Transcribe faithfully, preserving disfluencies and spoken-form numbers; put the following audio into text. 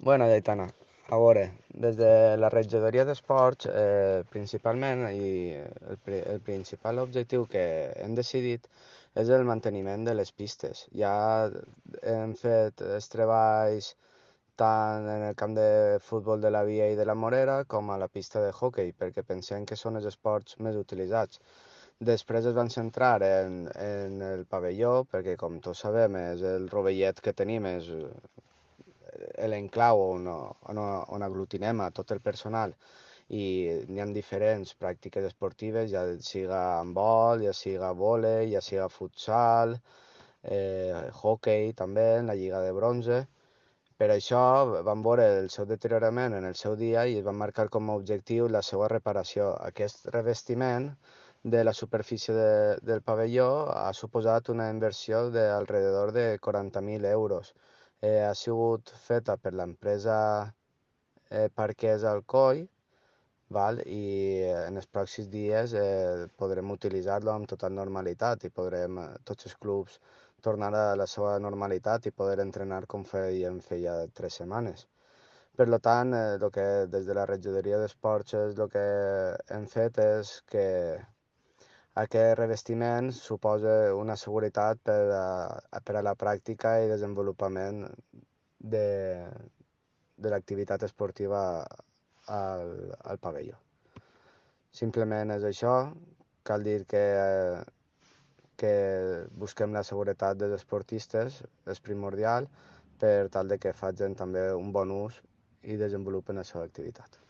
Bueno, Aitana, a veure, des de la regidoria d'esports, eh, principalment, i el, pri- el principal objectiu que hem decidit és el manteniment de les pistes. Ja hem fet els treballs tant en el camp de futbol de la Via i de la Morera com a la pista de hoquei, perquè pensem que són els esports més utilitzats. Després es van centrar en, en el pavelló, perquè com tots sabem és el rovellet que tenim, és l'enclau on, on, on aglutinem a tot el personal i n'hi ha diferents pràctiques esportives, ja siga handbol, ja siga vòlei, ja siga futsal, eh, hoquei també, en la Lliga de Bronze. Per això van veure el seu deteriorament en el seu dia i es van marcar com a objectiu la seva reparació. Aquest revestiment de la superfície de, del pavelló ha suposat una inversió d'alrededor de quaranta mil euros. Eh, ha sigut feta per l'empresa eh, Parquès Alcoi, val? I eh, en els pròxims dies eh, podrem utilitzar-lo amb total normalitat i podrem, eh, tots els clubs, tornar a la seva normalitat i poder entrenar com fèiem feia tres setmanes. Per lo tant, eh, lo que des de la regidoria d'esports és el que hem fet és que aquest revestiment suposa una seguretat per a, per a la pràctica i desenvolupament de, de l'activitat esportiva al, al pavelló. Simplement és això, cal dir que, que busquem la seguretat dels esportistes, és primordial, per tal de que facin també un bon ús i desenvolupen la seva activitat.